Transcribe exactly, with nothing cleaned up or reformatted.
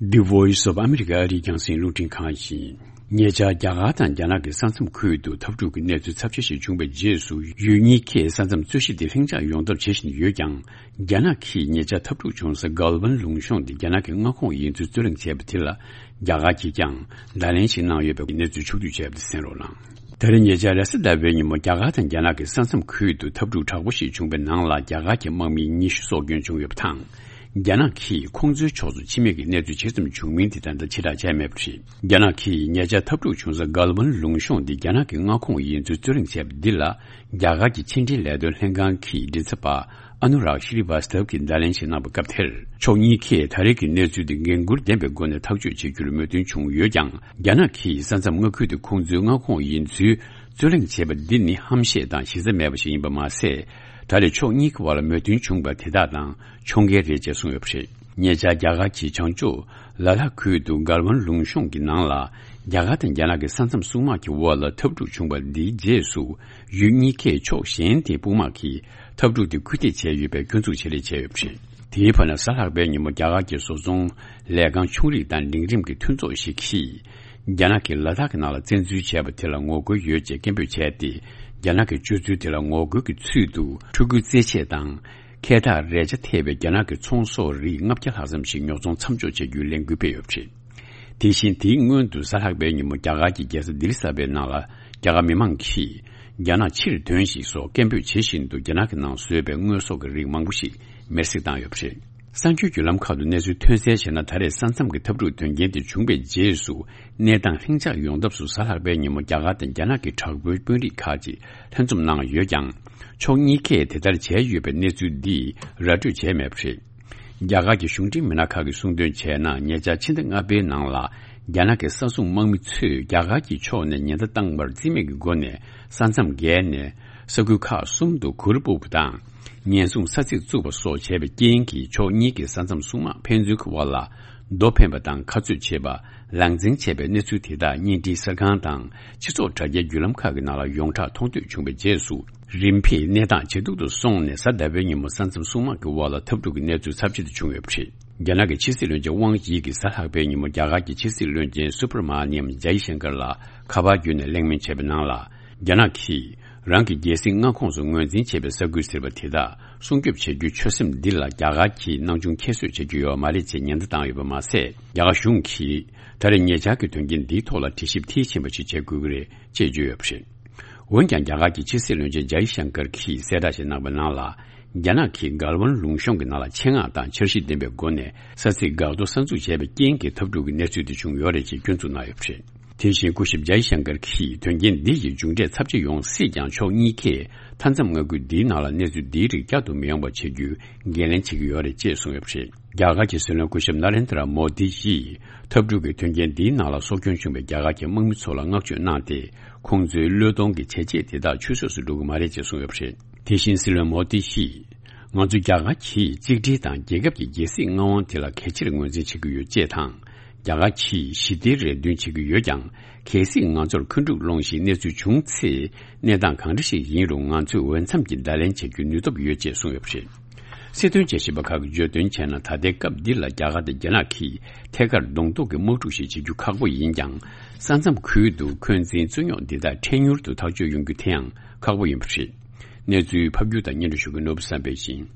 The Voice of America ཨ་རིའི་རྒྱང་སྲིང་རླུང་འཕྲིན་ཁང་ཡིན། ཉེ་ཆར་རྒྱ་གར་དང་རྒྱ་ནག་གི་ས་མཚམས་ཁུལ་དུ་འཐབ་འཁྲུག་གི་གནས་ཚུལ་ཚབས་ཆེ་ཞིག་བྱུང་བའི་རྗེས་སུ། ཡུལ་གཉིས་ཀས་ས་མཚམས་རྩོད་གཞི་དེ་ལྷིང་འཇགས་ཡོང་ཐབས་བྱེད་བཞིན་ཡོད་ཀྱང་། རྒྱ་ནག་གིས་ཉེ་ཆར་འཐབ་འཁྲུག་བྱུང་ས་གལ་ཝན་ལུང་གཤོང་དེ་རྒྱ་ནག་གི་མངའ་ཁོངས་ཡིན་ཚུལ་རྩོད་གླེང་བྱས་པ་དེ་ལ། རྒྱ་གར་གྱིས་ཀྱང་བརྡ་ལན་ཞིག་གནང་ཡོད་པའི་གནས་ཚུལ་ཕྱོགས་བསྡུས་བྱས་པ་དེ་གསན་རོགས་གནང་། ད་རེས་ཉེ་ཆར་རེས་གཟའ་ཟླ་བའི་ཉིན་མོ་རྒྱ་གར་དང་རྒྱ་ནག་གི་ས་མཚམས་ཁུལ་དུ་འཐབ་འཁྲུག་དྲག་པོ་ཞིག་བྱུང་བའི་ནང་ལ། རྒྱ་གར་གྱི་དམག་མི་ཉི་ཤུ་སྲོག་སྐྱོན་བྱུང་ཡོད་པ་དང་། རྒྱ་ནག་གིས་ཁོང་ཚོའི་ཕྱོགས་སུ་ཕྱི་མིག་གི་གནས་ཚུལ་ཇི་ཙམ་བྱུང་མིན་དེ་ད་ལྟ་ཕྱིར་བསྒྲགས་བྱས་མེད་པ་རེད། རྒྱ་ནག་གིས་ཉེ་ཆར་འཐབ་འཁྲུག་བྱུང་ས་གལ་ཝན་ལུང་གཤོང་འདི་རྒྱ་ནག་གི་མངའ་ཁོངས་ཡིན་ཚུལ་རྩོད་གླེང་བྱས་པ་འདི་ལ། རྒྱ་གར་གྱི་ཕྱི་འབྲེལ་ལས་དོན་ལྷན་ཁང་གི་མགྲིན་ཚབ་པ་ཨ་ནུ་རག་ཤྲི་ཝཱ་སྟབ་ཀྱིས་བརྡ་ལན་ཞིག་གནང་བའི་སྐབས་དེར། ཕྱོགས་གཉིས་ཀས་ད་རེས་ཀྱི་གནས་ཚུལ་འདི་འགན་འཁུར་ལྡན་པའི་སྒོ་ནས་ཐག་གཅོད་བྱེད་རྒྱུར་མོས་མཐུན་བྱུང་ཡོད་ཀྱང་། རྒྱ་ནག་གིས་ས་མཚམས་མངའ་ཁུལ་དེ་ཁོང་ཚོའི་མངའ་ཁོངས་ཡིན་ཚུལ་རྩོད་གླེང་བྱས་པ་འདི་ནི་ཧམ་བཤད་དང་གཞི་རྩ་མེད་པ་ཞིག་ཡིན་པ་མ་ཟད། ད་རེས་ཕྱོགས་གཉིས་ཀྱི་བར་ལ་མོས་མཐུན་བྱུང་བ་དེ་དག་དང་ཕྱོགས་འགལ་རེད་ཅེས་གསུངས་ཡོད་པ་རེད། ཉེ་ཆར་རྒྱ་གར་གྱིས་བྱང་ཕྱོགས་ལ་དྭགས་ཁུལ་དུ་གལ་ཝན་ལུང་གཤོང་གི་ནང་ལ། རྒྱ་གར་དང་རྒྱ་ནག་གི་ས་མཚམས་སྲུང་དམག་གི་འོག་ལ་འཐབ་འཁྲུག་བྱུང་བ་འདིའི་རྗེས་སུ། ཡུལ་གཉིས་ཀས་ཕྱོགས་གཞན་དེའི་དཔུང་དམག་གིས་འཐབ་འཁྲུག་དེ་སྐུལ་འདེད་བྱས་ཡོད་པའི་སྐྱོན་འཛུགས་བྱེད་ལས་བྱས་ཡོད་པ་རེད། དེའི་བར་ན་གཟའ་ལྷག་པའི་ཉིན་མོ་རྒྱ་གར་གྱི་བཟོ་ཚོང་ལས་ཁང་ཆུང་རིགས་དང་འབྲིང་རིམ་གྱི་མཐུན་ཚོགས་ཤིག་གིས། རྒྱ་ནག་གིས་ལ་དྭགས་ཀྱི་ནང་ལ་བཙན་འཛུལ་བྱས་པ་དེ་ལ་ངོ་རྒོལ་ཡོད་ཅེས་སྐད་འབོད་བྱས་ཏེ། རྒྱ་ནག་གི་སྤྱོད་ཚུལ་དེ་ལ་ངོ་རྒོལ་གྱི་ཚུལ་དུ་ཕྲུ་གུའི་རྩེད་ཆས་དང་། ཁལ་ཐག་རས་ཆ་ཐེབས་པའི་རྒྱ་ནག་གི་ཚོང་ཟོག་རིགས་ལྔ་བརྒྱ་ལྷག་ཙམ་ཞིག་ཉོ་ཚོང་མཚམས་འཇོག་བྱེད་རྒྱུའི་ལས་འགུལ་སྤེལ་ཡོད་པ་རེད། དེ་བཞིན་དེའི་སྔོན་དུ་གཟའ་ལྷག་པའི་ཉིན་མོ་རྒྱ་གར་གྱི་རྒྱལ་ས་ལྡི་ལི་གསར་པའི་ནང་ལ་རྒྱ་གར་མི་མང་གིས་རྒྱ་ནག་ཕྱིར་ཐོན་ཞིག་སོགས་སྐད་འབོད་བྱེད་བཞིན་དུ་རྒྱ་ནག་གི་ནང་བཟོས་པའི་དངོས་ཟོག་གི་རིགས་མང་པོ་ཞིག་མེར་སྲེག་བཏང་ཡོད་པ་རེད། གསར་འགྱུར་བརྒྱུད་ལམ་ཁག་ཏུ་གནས་ཚུལ་ཐོན་གསལ་བྱས་ན། ད་རེས་ས་མཚམས་ཀྱི་འཐབ་འཁྲུག་དོན་རྐྱེན་དེ་བྱུང་བའི་རྗེས་སུ། གནས་སྟངས་ལྷིང་འཇགས་ཡོང་ཐབས་སུ་གཟའ་ལྷག་པའི་ཉིན་མོ་རྒྱ་གར་དང་རྒྱ་ནག་གི་དྲག་པོའི་དཔོན་རིགས་ཁག་ཅིག་ལྷན་འཛོམས་གནང་ཡོད་ཀྱང་། ཕྱོགས་གཉིས་ཀས་དེ་ལྟར་བྱས་ཡོད་པའི་གནས་ཚུལ་འདིས་ར་སྤྲོད་བྱས་མེད་པ་རེད། རྒྱ་གར་གྱི་གཞུང་འབྲེལ་མི་སྣ་ཁག་གིས་གསུངས་དོན་བྱས་ན། ཉེ་ཆར་ཕྱི་ཟླ་ལྔ་པའི་ནང་ལ་རྒྱ་ནག་གི་ས་སྲུང་དམག་མི་ཚོས་རྒྱ་གར་གྱི་ཕྱོགས་ནས་ཉེན་བརྡ་བཏང་བར་རྩིས་མེད་ཀྱི་སྒོ་ནས་ས་མཚམས་བརྒལ་ནས་ས་ཁུལ་ཁག་གསུམ་དུ་གུར་སྤུབས་པ་དང་། ཉེན་སྲུང་ས་ཚིགས་བཙུགས་པ་སོགས་བྱས་པའི་རྐྱེན་གྱིས། ཕྱོགས་གཉིས་ཀྱི་ས་མཚམས་སྲུང་དམག་ཕན་ཚུན་གྱི་བར་ལ་རྡོ་འཕེན་པ་དང་ཁ་རྩོད་བྱེད་པ། ལག་འཛིང་བྱས་པའི་གནས་ཚུལ་དེ་དག་བརྙན་འཕྲིན་གསར་ཁང་དང་སྤྱི་ཚོགས་དྲ་རྒྱའི་བརྒྱུད་ལམ་ཁག་གི་ནང་ལ་ཡོངས་གྲགས་མཐོང་ཐོས་བྱུང་བའི་རྗེས་སུ། རིམ་པས་གནས་སྟངས་ཇེ་སྡུག་ཏུ་སོང་ནས། གཟའ་ཟླ་བའི་ཉིན་མོ་ས་མཚམས་སྲུང་དམག་གི་དབར་ལ་འཐབ་འཁྲུག་གི་གནས་ཚུལ་ཚབས་ཆེ་དུ་བྱུང་ཡོད་པ་རེད། རྒྱ་ནག་གི་ཕྱི་སྲིད་བློན་ཆེན་ཝང་དབྱི་གིས་གཟའ་ལྷག་པའི་ཉིན་མོ་རྒྱ་གར་གྱི་ཕྱི་སྲིད་བློན་ཆེན་སུ་བྷ་ར་མ་ནི་ཡམ་ཇའི་ཤང་ཀར་ལ་ཁ་པར་བརྒྱུད་ནས་གླེང་མོལ་བྱས་པའི་ནང་ལ། རྒྱ་ནག་གིས་རང་གི་རྒྱལ་སྲིད་མངའ་ཁོངས་སུ་ངོས་འཛིན་བྱས་པའི་ས་ཁུལ་ཟེར་བ་དེ་དག་སྲུང་སྐྱོབ་བྱ་རྒྱུའི་ཆོད་སེམས་འདི་ལ་རྒྱ་གར་གྱིས་སྣང་ཆུང་ཁྱད་གསོད་བྱེད་རྒྱུ་ཡོད་མ་རེད་ཅེས་ཉེན་བརྡ་བཏང་ཡོད་པ་མ་ཟད། རྒྱ་གར་གཞུང་གིས་ད་རེས་ཉེ་ཆར་གྱི་དོན་རྐྱེན་འདིའི་ཐོག་ལ་དྲི་ཞིབ་མཐིལ་ཕྱིན་པ་ཞིག་བྱེད་དགོས་ཀྱི་རེད་ཅེས་བརྗོད་ཡོད་པ་རེད། འོན་ཀྱང་། རྒྱ་གར་གྱི་ཕྱི་སྲིད་བློན་ཆེན་ཇའི་ཤང་ཀར་གྱིས་གསལ་བསྒྲགས་ཤིག་གནང་བའི་ནང་ལ། རྒྱ་ནག་གིས་གལ་ཝན་ལུང་གཤོང་གི་ནང་ལ་ཆེད་མངགས་དང་འཆར་གཞི་ལྡན་པའི་སྒོ་ནས་ས་ཚིགས་འགག་གཏོར་གསར་འཛུགས་བྱས་པའི་རྐྱེན་གྱིས་འཐབ་འཁྲུག་གི་གནས་ཚུལ་དེ་བྱུང་ཡོད་རེད་ཅེས་སྐྱོན་འཛུགས་གནང་ཡོད་པ་རེད། དེ་བཞིན་སྐུ་ཞབས་ཇའི་ཤང་ཀར་གྱིས། དོན་རྐྱེན་འདི་ཡི་མཇུག་འབྲས་ཚབས་ཆེ་ཡོང་སྲིད་ཀྱང་། ཕྱོགས་གཉིས་ཀས་མཐའ་མཚམས་མངའ་ཁུལ་འདིའི་ནང་ལ་གནས་ཚུལ་འདིའི་རིགས་བསྐྱར་དུ་མི་ཡོང་བ་བྱེད་རྒྱུའི་འགན་ལེན་བྱེད་ཀྱི་ཡོད་རེད་ཅེས་གསུངས་ཡོད་པ་རེད། རྒྱ་གར་གྱི་སྲིད་བློན་སྐུ་ཞབས་ན་རེན་དྲ་མོ་དི་ཡིས། འཐབ་འཁྲུག་གི་དོན་རྐྱེན་འདིའི་ནང་ལ་སྲོག་སྐྱོན་བྱུང་བའི་རྒྱ་གར་གྱི་དམག་མི་ཚོ་ལ་བསྔགས་བརྗོད་གནང་སྟེ། ཁོང་ཚོའི་བློས་གཏོང་གི་བྱས་རྗེས་དེ་དག་ཆུད་ཟོས་སུ་འགྲོ་གི་མ་རེད་ཅེས་གསུངས་ཡོད་པ་རེད། དེ་བཞིན་སྲིད་བློན་མོ་དི་ཡིས། ང་ཚོ་རྒྱ་གར་གྱིས་གཅིག་སྒྲིལ་དང་རྒྱལ་ཁབ་ཀྱི་རྒྱལ་སྲིད་མངའ་དབང་དེ་ལ་གལ་ཆེར་ངོས་འཛིན་བྱེད་ཀྱི་ཡོད་ཅེས་དང་། རྒྱ་གར་གྱིས་ཞི་བདེའི་རེ་འདུན་བྱེད་ཀྱི་ཡོད་ཀྱང་། གལ་སྲིད་ང་ཚོར་འཁོན་འཁྲུག་སློང་བཞིན་གནས་ཚུལ་བྱུང་ཚེ། གནས་སྟངས་གང་འདྲ་ཞིག་ཡིན་རུང་། ང་ཚོས་འོས་འཚམ་གྱི་བརྡ་ལན་བྱ་རྒྱུའི་ནུས་སྟོབས་ཡོད་ཅེས་གསུངས་ཡོད་པ་རེད། སྲིད་དོན་དཔྱད་ཞིབ་པ་ཁག་གིས་བརྗོད་དོན་བྱས་ན། ད་ལྟའི་སྐབས་འདི་ལ་རྒྱ་གར་དང་རྒྱ་ནག་གིས་ཐད་ཀར་གདོང་གཏུག་གི་དམག་འཁྲུག་ཞིག་བྱེད་རྒྱུ་ཁག་པོ་ཡིན་ཀྱང་། ས་མཚམས་ཁུལ་དུ་འཁོན་འཛིན་རྩོད་རྙོག་འདི་དག་འཕྲལ་མྱུར་དུ་ཐག་གཅོད་ཡོང་རྒྱུ་དེ་ཡང་ཁག་པོ་ཡིན་པ་རེད། གནས་ཚུལ་ཕབ་སྒྱུར་དང་སྙན་སྒྲོན་ཞུ་མཁན་ནོར་བུ་བསམ་འཕེལ་ཡིན།